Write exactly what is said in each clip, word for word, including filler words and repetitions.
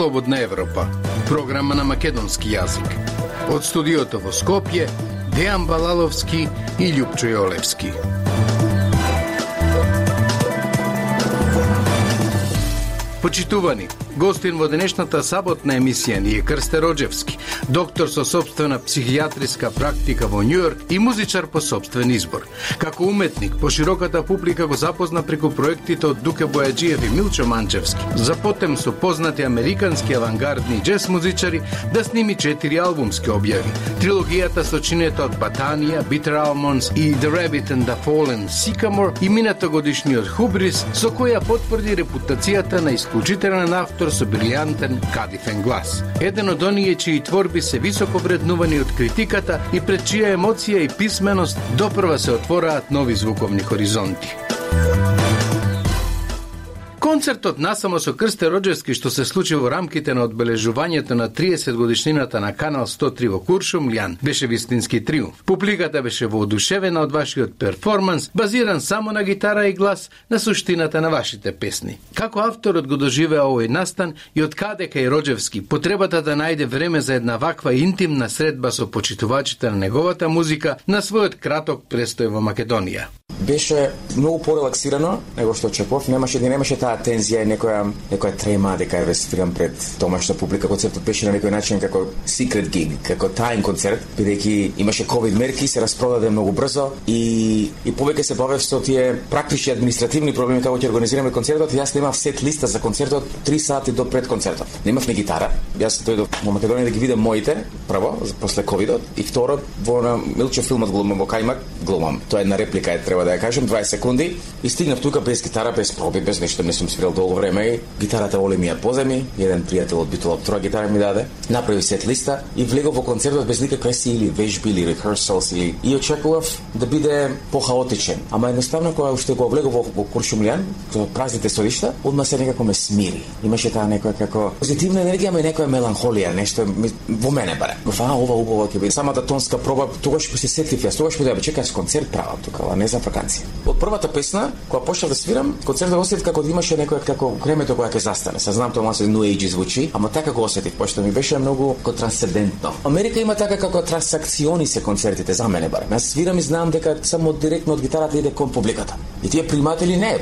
Слободна Европа, програма на македонски јазик. Од студиото во Скопје, Дејан Балаловски и Љупчо Јолевски. Почитувани, гостин во денешната саботна емисија ни е Крсте Роџевски, доктор со собствена психијатриска практика во Њујорк и музичар по собствен избор. Како уметник, пошироката публика го запозна преку проектите од Дуке Бојаджиев и Милчо Манчевски. Запотем со познати американски авангардни џез музичари да сними четири албумски објави. Трилогијата сочинета од Батанија, Bitter Almonds и The Rabbit and the Fallen Sycamore и мината годишниот Хубрис, со која потврди репутацијата на исклучителен автор со брилјантен кадифен глас. Еден од оние чии творби се високо вреднувани од критиката и пред чија емоција и писменост допрва се отвораат нови звуковни хоризонти. Концертот насамо со Крсте Роџевски што се случи во рамките на одбележувањето на триесет годишнината на Канал сто три во Куршумлијан беше вистински триумф. Публиката беше воодушевена од вашиот перформанс, базиран само на гитара и глас, на суштината на вашите песни. Како авторот го доживеа овој настан и од каде кај Роџевски потребата да најде време за една ваква интимна средба со почитувачите на неговата музика на својот краток престој во Македонија? Беше многу порелаксирано него што очекував, немаше не немаше таа тензија и некоја некоја трема дека ја рецитирам пред домашна публика. Концертот беше на некој начин како secret gig, како тајн концерт, бидејќи имаше ковид мерки, се распродаде многу брзо и и повеќе се бавев со тие практични административни проблеми како ќе организираме концертот. Јас немав сет листа за концертот три сати до пред концертот. Немав ни гитара. Јас дојдов во Македонија да ги видам моите, прво, после ковидот, и второ во на Милчо филмот глумам во Кајмак, глумам. Тоа е една реплика, е треба да ја кажем, дваесет секунди и стигнав тука без гитара, без проби, без нешто, не сум свирал долго време и гитарата Оле ми ја поземи, еден пријател од Битола втора гитара ми даде, направи сет листа и влегов во концертот без никакви сили, вежби или rehearsals или и очекував да биде похаотичен. Ама едноставно кога уште го влегов во, во Куршумлијан, во празните столишта, одма се некако ме смири. Имаше таа некоја како позитивна енергија, ама и некоја меланхолија, нешто во мене баре. Фа, ова убаво ќе биде. Самата тонска проба, тогаш се сетив јас, тогаш ми да чекам концерт правам тука, а не за ваканција. Од првата песна, кога почнав да свирам, концертот осетив како да имаше некоја како времето кога ќе застане. Се знам тоа се New Age звучи, ама така го осетив, пошто ми беше многу како трансцендентно. Америка има така како трансакциони се концертите за мене барем. Јас свирам и знам дека само директно од гитарата иде кон публиката. И тие приматели не.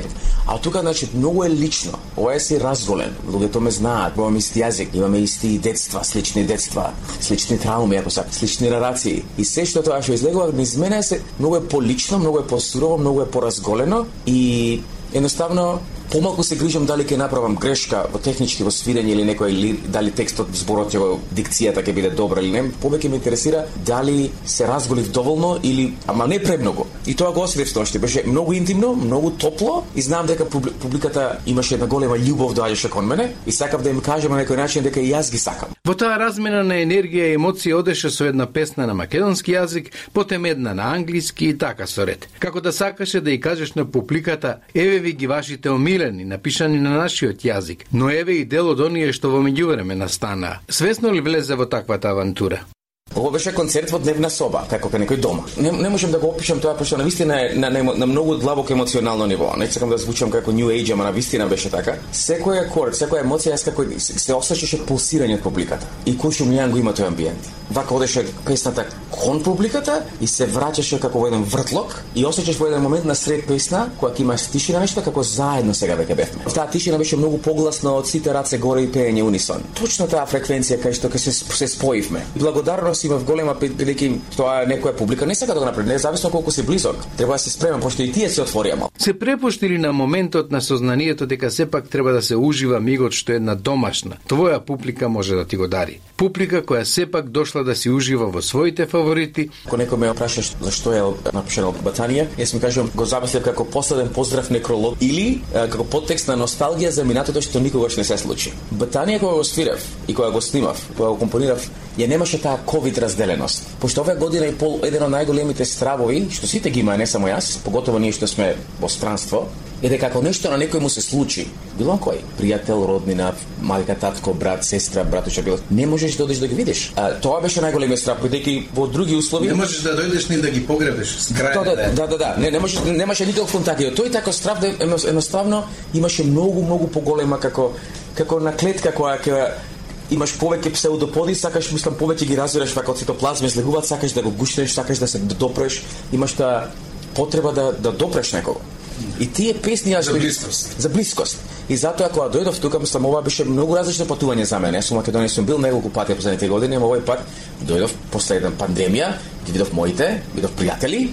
А тука значи многу е лично. Ова е си разголен. Луѓето ме знаат, имаме исти јазик, имаме исти детства, слични детства, слични трауми, ако сакате, слични нарации. И се што тоа што излегува низ мене се многу е полично, многу е посурово, многу е поразголено и едноставно помалку се грижам дали ќе направам грешка во технички во свирење или некој или дали текстот, зборот, ја дикцијата ќе биде добра или не. Повеќе ме интересира дали се разголив доволно или ама не премногу. И тоа го осетив сношти. Беше многу интимно, многу топло и знам дека публиката имаше една голема љубов доаѓаше кон мене и сакав да им кажам на некој начин дека и јас ги сакам. Во таа размена на енергија и емоции одеше со една песна на македонски јазик, потем една на англиски и така со ред. Како да сакаше да ја кажеш на публиката: еве ви ги вашите омилени, напишани на нашиот јазик, но еве и дел од оние што во меѓувреме настанаа. Свесно ли влезе во таквата авантура? Ова беше концерт во дневна соба, како кај некој дома. Не, не можам да го опишам тоа, пошто навистина е на, на, на многу длабоко емоционално ниво. Не сакам да звучам како New Age, ама навистина беше така. Секој акорд, секоја емоција, јас како се, се осеќаше пулсирање од публиката. И Куршумлијан го има тој амбиент. Вака одеше песната кон публиката и се враќаше како во еден вртлок и осеќаш во еден момент на сред песна, кога ќе имаш тишина нешто, како заедно сега веќе бевме. Таа тишина беше многу погласна од сите раце горе и пеење унисон. Точно таа фреквенција кај што се, се споивме. Благодарност имав голема, бидејќи тоа некоја публика не сака да го направи, независно колку си близок. Треба да се спремам, пошто и тие се отворија мал. Се препуштили на моментот на сознанието дека сепак треба да се ужива мигот што една домашна, твоја публика може да ти го дари. Публика која сепак дошла да си ужива во своите фаворити. Ако некој ме опраша зашто е напишано Батанија, јас ми кажувам го замислив како последен поздрав некролог или а, како подтекст на носталгија за минатото што никогаш не се случи. Батанија кога го свирев и кога го снимав, кога го компонирав, ја немаше таа ковид разделеност. Пошто оваа година и пол еден од најголемите стравови, што сите ги има, не само јас, поготово ние што сме во странство, е дека ако нешто на некој му се случи, било кој, пријател, роднина, мајка, татко, брат, сестра, братуче, било, не можеш да одиш да ги видиш. А, тоа беше најголемиот страв, бидејќи во други услови не можеш да дојдеш ни да ги погребеш. Да, да, да, да, да, не, не можеш, немаше никаков контакт. Тој тако страв да едноставно имаше многу, многу поголема како како на клетка која ќе имаш повеќе псевдоподи, сакаш мислам повеќе ги развираш вака од цитоплазма, излегуваат, сакаш да го гушнеш, сакаш да се допреш, имаш таа потреба да да допреш некого. И тие песни за блискост. За блискост. И затоа кога дојдов тука, мислам ова беше многу различно патување за мене. Со Македонија сум бил неколку пати последните години, но овој пат дојдов после една пандемија, ги видов моите, видов пријатели,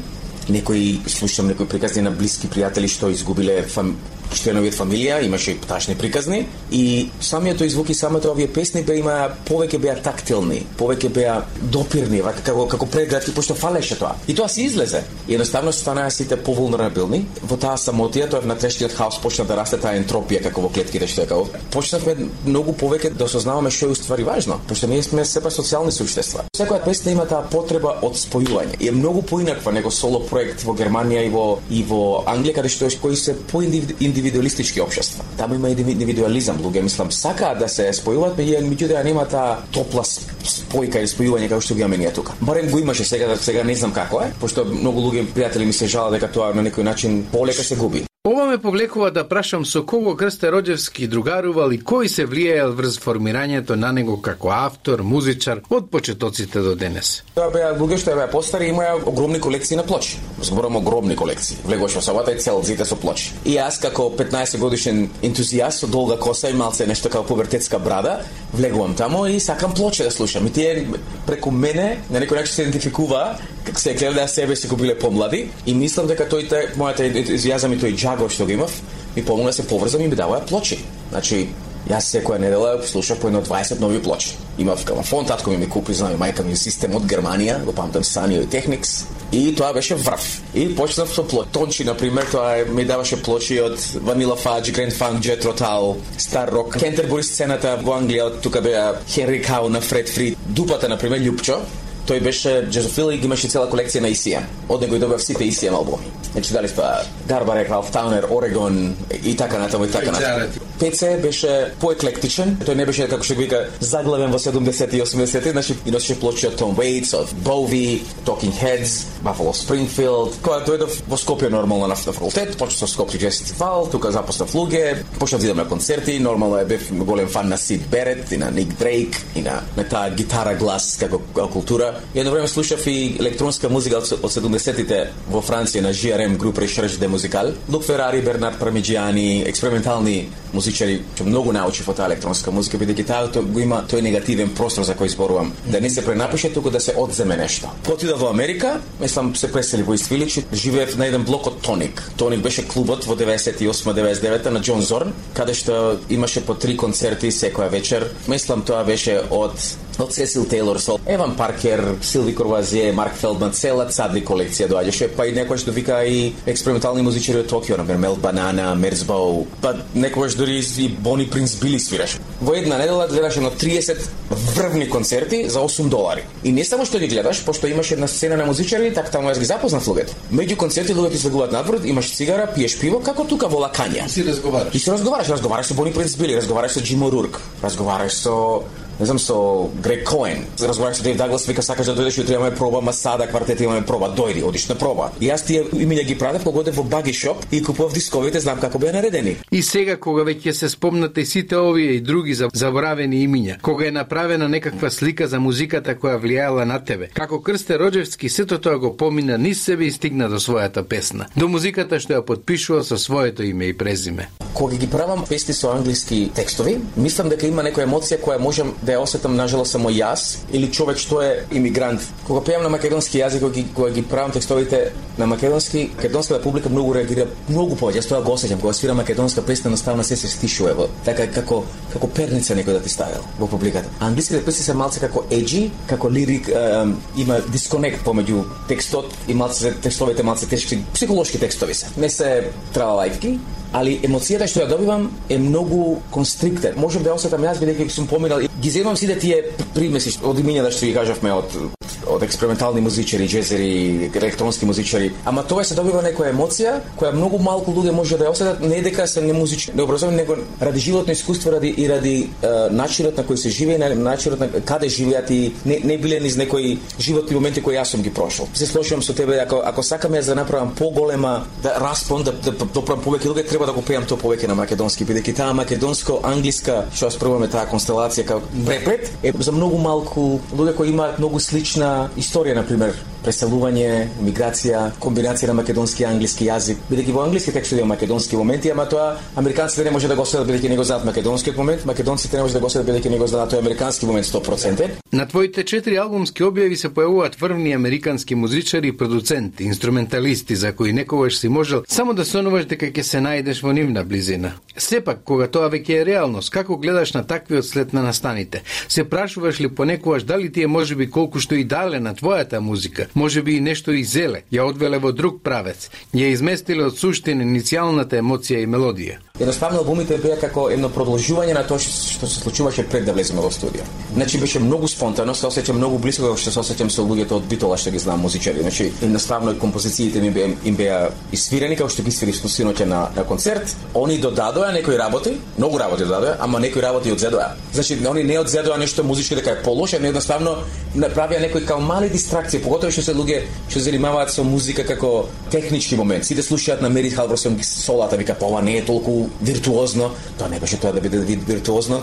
некои слушам некои приказни на блиски пријатели што изгубиле фам... членови од фамилија, имаше и тачни приказни и самиот тој звук и самото овие песни беа има повеќе беа тактилни, повеќе беа допирни, вака како како прегратки, пошто фалеше тоа. И тоа се излезе. И едноставно станаа сите повулнерабилни. Во таа самотија, тоа внатрешниот хаос почна да расте таа ентропија како во клетките што е како. Почнавме многу повеќе да осознаваме што е уствари важно, пошто ние сме сепак социјални суштества. Секоја песна има таа потреба од спојување. И е многу поинаква него соло проект во Германија и во и во Англија, каде што кои се поиндивидуалистички општества. Таму има индивидуализам, луѓе мислам сакаат да се спојуваат, меѓутоа нема таа топла спојка или спојување како што ги имаме ние тука. Барем го имаше сега, сега не знам како е, пошто многу луѓе пријатели ми се жалат дека тоа на некој начин полека се губи. Ова ме повлекува да прашам со кого Крсте Роџевски другарувал и кој се влијаел врз формирањето на него како автор, музичар од почетоците до денес. Тоа беа луѓе што беа постари, имаа огромни колекции на плочи. Зборам огромни колекции. Влегуваш во сабата и целзите со плочи. И јас како петнаесет годишен ентузијаст со долга коса и малце нешто како пубертетска брада, влегувам таму и сакам плочи да слушам. И тие преку мене на некој начин се идентификува, како се гледа себе си кога биле помлади и мислам дека тој те мојата ентузијазам и тој џаго што го имав ми помогна да се поврзам и ми даваа плочи. Значи јас секоја недела слушав по едно дваесет нови плочи. Имав грамофон, татко ми ми купи, знам, мајка ми систем од Германија, го памтам Sanio и Technics. И тоа беше врв. И почнав со плочи. Тончи, например, тоа ми даваше плочи од Vanilla Fudge, Grand Funk, Jethro Tull, Star Rock, Canterbury сцената во Англија, од тука беа Henry Cow на Фред Фрид, Дупата, например, Љупчо. Тој беше джазофил и имаше цела колекција на И Си Ем. Од него и добав сите И Си Ем албуми. Значи дали тоа Гарбарек, Ралф Таунер, Орегон и така натаму и така натаму. Пеце беше поеклектичен. Тој не беше како што го вика заглавен во седумдесети и осумдесети, значи и носеше плочи од Том Waits, од Bowie, Talking Heads, Buffalo Springfield. Кога дојдов во Скопје нормално на факултет, почнав со Скопје Джаз фестивал, тука запознав луѓе, почнав да идам на концерти, нормално е бев голем фан на Сид Берет и на Ник Дрейк и на, на таа гитара глас како култура. И едно време слушав и електронска музика од седумдесетите во Франција на Джи Ар Ем Group Recherche de Musical. Лук Ферари, Бернард Пармиджиани, експериментални музичари, што многу научив од таа електронска музика, бидејќи таа го има тој негативен простор за кој зборувам. Да не се пренапише, туку да се одземе нешто. Отидов во Америка, мислам се пресели во Ист Вилидж, живеев на еден блок од Тоник. Тоник беше клубот во деветдесет и осма деветдесет и девета на Џон Зорн, каде што имаше по три концерти секоја вечер. Мислам тоа беше од од Сесил Тейлор, со Еван Паркер, Силви Корвазие, Марк Фелдман, цела цадри колекција доаѓаше, па и некојаш довика и експериментални музичари од Токио, например Мел Банана, Мерзбоу, па некојаш дури и Бони Принц Били свираше. Во една недела гледаше на триесет врвни концерти за осум долари. И не само што ги гледаш, пошто имаше една сцена на музичари, така таму јас ги запознав луѓето. Меѓу концерти луѓето излегуваат надвор, имаш цигара, пиеш пиво, како тука во Лакања. И си разговараш. И си разговараш, разговараш со Бони Принц Били, разговараш со Джим О'Рурк, разговараш со не знам, со Грег Коен. Разговараш со Дейв Даглас, вика сакаш да дојдеш, утре имаме проба, Масада, квартет имаме проба, дојди, одиш на проба. И јас тие имиња ги пратев кога одев во Баги Шоп и купував дисковите, знам како беа наредени. И сега кога веќе се спомнате сите овие и други заборавени имиња, кога е направена некаква слика за музиката која влијаела на тебе, како Крсте Роџевски сето тоа го помина низ себе и стигна до својата песна, до музиката што ја потпишува со своето име и презиме. Кога ги правам песни со англиски текстови, мислам дека има некоја емоција која можам да ја осетам нажалост само јас или човек што е имигрант. Кога пеам на македонски јазик, кога ги, кога ги правам текстовите на македонски, македонската публика многу реагира многу повеќе. Јас тоа го осеќам кога свирам македонска песна, наставно се се стишува во така како како перница некој да ти ставил во публиката. А англиските песни се малце како еджи, како лирик, е, има дисконект помеѓу текстот и малце текстовите малце тешки, психолошки текстови се. Не се тралалајки, али емоцијата што ја добивам е многу констриктен. Можам да ја осетам јас бидејќи сум поминал и ги земам сите тие примеси од имињата што ги кажавме од од експериментални музичари, џезери, електронски музичари, ама тоа се добива некоја емоција која многу малку луѓе може да ја осетат, не дека се не музички, не образовани, него ради животно искуство, ради и ради е, начинот на кој се живее, на начинот на каде живеат и не, не биле низ некои животни моменти кои јас сум ги прошол. Се слушам со тебе, ако ако сакам јас да направам поголема да распон, да да доправам повеќе луѓе, треба да го пеам тоа повеќе на македонски, бидејќи таа македонско-англиска, што ја спробуваме таа констелација како препред е за многу малку луѓе кои имаат многу слична историја, на пример преселување, миграција, комбинација на македонски и англиски јазик. Бидејќи во англиски текстот има македонски моменти, ама тоа американците не може да го следат бидејќи не го знаат македонскиот момент, македонците не може да го следат бидејќи не го знаат тој американски момент сто проценти. На твоите четири албумски објави се појавуваат врвни американски музичари и продуценти, инструменталисти за кои некогаш си можел само да сонуваш дека ќе се најдеш во нивна близина. Сепак, кога тоа веќе е реалност, како гледаш на таквиот след на настаните? Се прашуваш ли понекогаш дали ти е можеби колку што и дале на твојата музика, можеби и нешто изеле, ја одвеле во друг правец, ја изместиле од суштина иницијалната емоција и мелодија? Едноставно албумите беа како едно продолжување на тоа што се случуваше пред да влеземе во студио. Значи беше многу спонтано, се осеќам многу блиско како што се осеќам со луѓето од Битола што ги знам музичари. Значи едноставно композициите ми беа им беа исвирени како што ги свири синоќа на, на концерт. Они додадоа некои работи, многу работи додадоа, ама некои работи одзедоа. Значи они не одзедоа нешто музички дека е полошо, не едноставно направија некои као мали дистракции, поготово што се луѓе што занимаваат со музика како технички момент. Сите слушаат на Мерит Халварсон солата, вика па ова не е толку виртуозно. Тоа не беше тоа да биде виртуозно.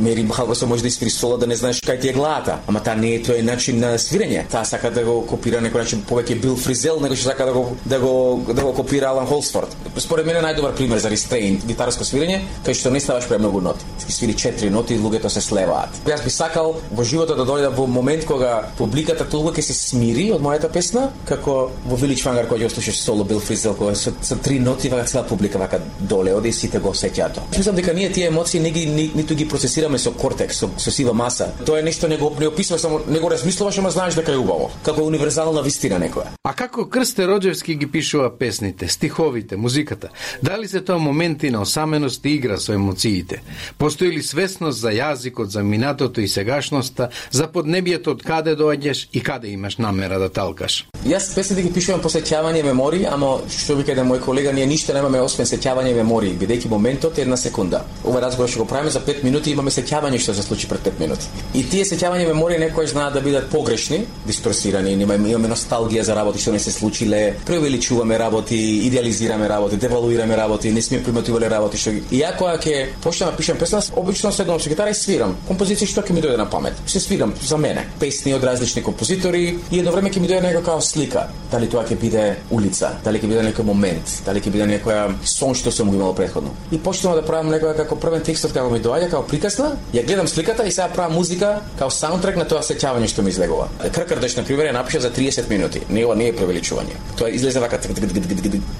Мери Халварсон може да испири сола да не знаеш кај ти е главата, ама таа не е тој начин на свирење. Таа сака да го копира некој начин повеќе Бил Фризел, него што сака да го да го да го копира Алан Холсфорд. Според мене најдобар пример за рестрейн гитарско свирење, кај што не ставаш премногу ноти. Ти свири четири ноти и луѓето се слеваат. Јас би сакал во животот да дојде во момент кога публиката толку ќе се смири од мојата песна, како во Village Vanguard кога ќе слушаш соло Бил Фризел, кога со, со три ноти вака цела публика вака доле оди и сите го сеќаат тоа. Мислам дека ние тие емоции не ги ни, ниту ги процесираме со кортекс, со, со сива маса. Тоа е нешто не го не описуваш, само не го размислуваш, ама знаеш дека е убаво. Како универзална вистина некоја. А како Крсте Роџевски ги пишува песните, стиховите, музиката? Дали се тоа моменти на осаменост и игра со емоциите? Постои ли свесност за јазикот, за минатото и сегашноста, за поднебието од каде доаѓаш и каде имаш намера да талкаш? Јас песните ги пишувам по сеќавање мемории, ама што ви кажа мој колега, ние ништо немаме освен сеќавање мемории, бидејќи моментот е една секунда. Ова разговор што го правиме за пет минути, имаме сеќавање што се случи пред пет минути. И тие сеќавање мемории некојаш знаат да бидат погрешни, дисторсирани, имаме, имаме носталгија за работи што не се случиле, преувеличуваме работи, идеализираме работи, девалуираме работи, не сме приметувале работи што ги. И ја кога ќе почнам да пишам песна, обично седнам со гитара и свирам композиции што ќе ми дојде на памет. Се свирам за мене, песни од различни композитори и едно време ќе ми дојде некоја слика. Дали тоа ќе биде улица, дали ќе биде некој момент, дали ќе биде некоја сон што сум го имал претходно. И почнувам да правам некоја како првен текстот како ми доаѓа, како приказна, ја гледам сликата и сега правам музика како саундтрек на тоа сеќавање што ми излегува. Кркрдеш на пример ја напишав за триесет минути. Не ова не е превеличување. Тоа излезе вака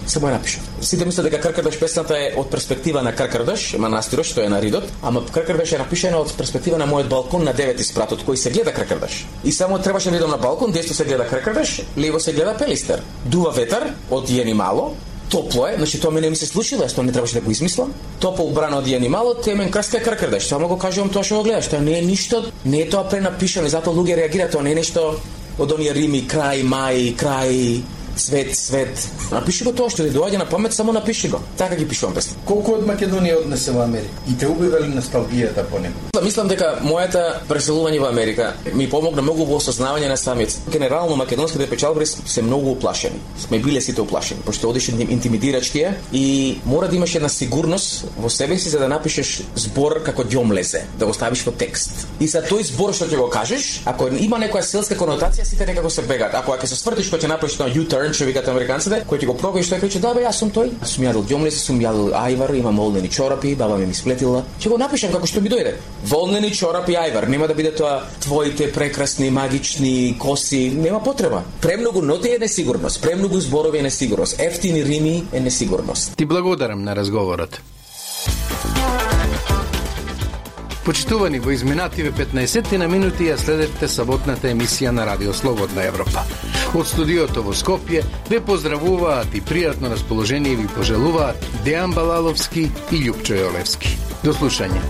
само ја напишав. Сите мислат дека Кркрдеш песната е од перспектива на Кркрдеш, манастирот што е на Ридот, ама Кркрдеш е напишана од перспектива на мојот балкон на девети спрат од кој се гледа Кркрдеш. И само требаше да идам на балкон, десно се гледа Кркрдеш, лево се гледа Пелистер. Дува ветар од Јенимало, топло е, значи тоа мене ми се случило, јас тоа не требаше да го измислам. Топол брана од Јенимало, темен Крсте Кркрдеш. Само го кажувам тоа што го гледаш, тоа не е ништо, не е тоа пренапишано и затоа луѓе реагираат, тоа не е нешто од оние рими крај мај, крај цвет, свет. Напиши го тоа што ти доаѓа на памет, само напиши го. Така ги пишувам песни. Колку од Македонија однесе во Америка? И те убива ли носталгијата по него? Мислам дека мојата преселување во Америка ми помогна многу во осознавање на самиот. Генерално македонските печалбари се многу уплашени. Сме биле сите уплашени, пошто одиш интимидирачки и мора да имаш една сигурност во себе си за да напишеш збор како ѓомлезе, да го ставиш во текст. И за тој збор што ќе го кажеш, ако има некоја селска конотација, сите некако се бегаат. Ако ќе се свртиш кога ќе направиш на U-turn, што викаат американците, кој ќе го пробаеш, тој ќе да бе, јас сум тој. Сум јадел ѓомлезе, сум јадел ајвар, имам волнени чорапи, баба ми ми сплетила. Ќе го напишам како што ми дојде. Волнени чорапи ајвар, нема да биде тоа твоите прекрасни магични коси, нема потреба. Премногу ноти е несигурност, премногу зборови е несигурност, ефтини рими е несигурност. Ти благодарам на разговорот. Почитувани, во изминативе петнаесет на минути ја следевте саботната емисија на Радио Слободна Европа. Од студиото во Скопје ве поздравуваат и пријатно расположение ви пожелуваат Дејан Балаловски и Љупчо Јолевски. До слушање.